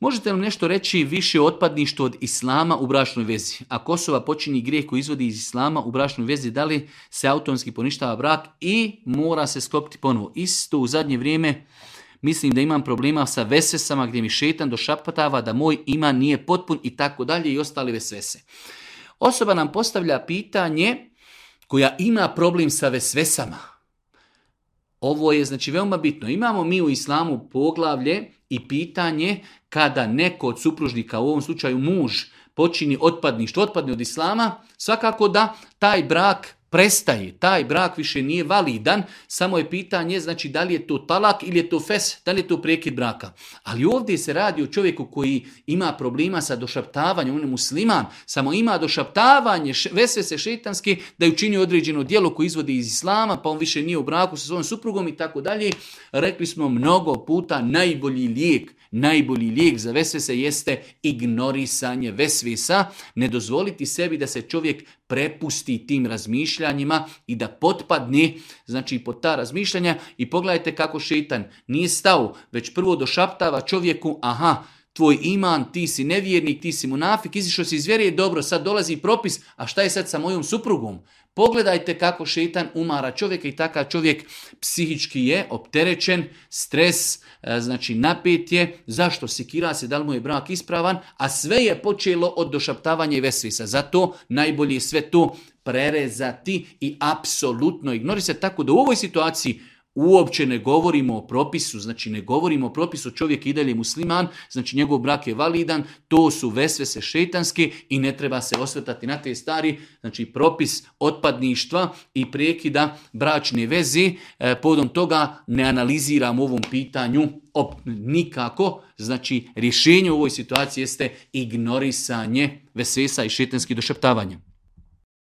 Možete li nešto reći više o otpadništvu od islama u bračnoj vezi? Ako osoba počini grijeh koji izvodi iz islama u bračnoj vezi, da li se automatski poništava brak i mora se sklopiti ponovo? Isto u zadnje vrijeme mislim da imam problema sa vesvesama gdje mi šetan došaptava da moj iman nije potpun i tako dalje i ostale vesvese. Osoba nam postavlja pitanje koja ima problem sa vesvesama. Ovo je znači veoma bitno. Imamo mi u islamu poglavlje i pitanje kada neko od supružnika, u ovom slučaju muž, počini otpadništvo, otpadne od islama, svakako da taj brak prestaje, taj brak više nije validan, samo je pitanje znači da li je to talak ili je to fes, da li je to prekid braka. Ali ovdje se radi o čovjeku koji ima problema sa došaptavanjem, on je musliman, samo ima došaptavanje, vesvese šetanske da je učinio određeno djelo koje izvodi iz islama, pa on više nije u braku sa svojom suprugom i tako dalje. Rekli smo mnogo puta najbolji lijek za vesvese jeste ignorisanje vesvesa, ne dozvoliti sebi da se čovjek prepusti tim razmišljanjima i da potpadne znači pod ta razmišljanja. I pogledajte kako šeitan nije stao, već prvo došaptava čovjeku, aha, tvoj iman, ti si nevjernik, ti si munafik, izišao si iz vjere, dobro, sad dolazi propis, a šta je sad sa mojom suprugom? Pogledajte kako šeitan umara čovjeka i takav čovjek psihički je opterećen, stres, znači napet je. Zašto? Sikira se da li mu je brak ispravan, a sve je počelo od došaptavanja i vesvesa. Zato najbolje je sve to prerezati i apsolutno ignorisati. Tako da u ovoj situaciji uopće ne govorimo o propisu, znači ne govorimo o propisu, čovjek i dalje musliman, znači njegov brak je validan, to su vesvese šejtanske i ne treba se osvrtati na te stvari, znači propis otpadništva i prekida bračne veze, povodom toga ne analiziramo u ovom pitanju nikako, znači rješenje u ovoj situaciji jeste ignorisanje vesvesa i šejtanskih došaptavanja.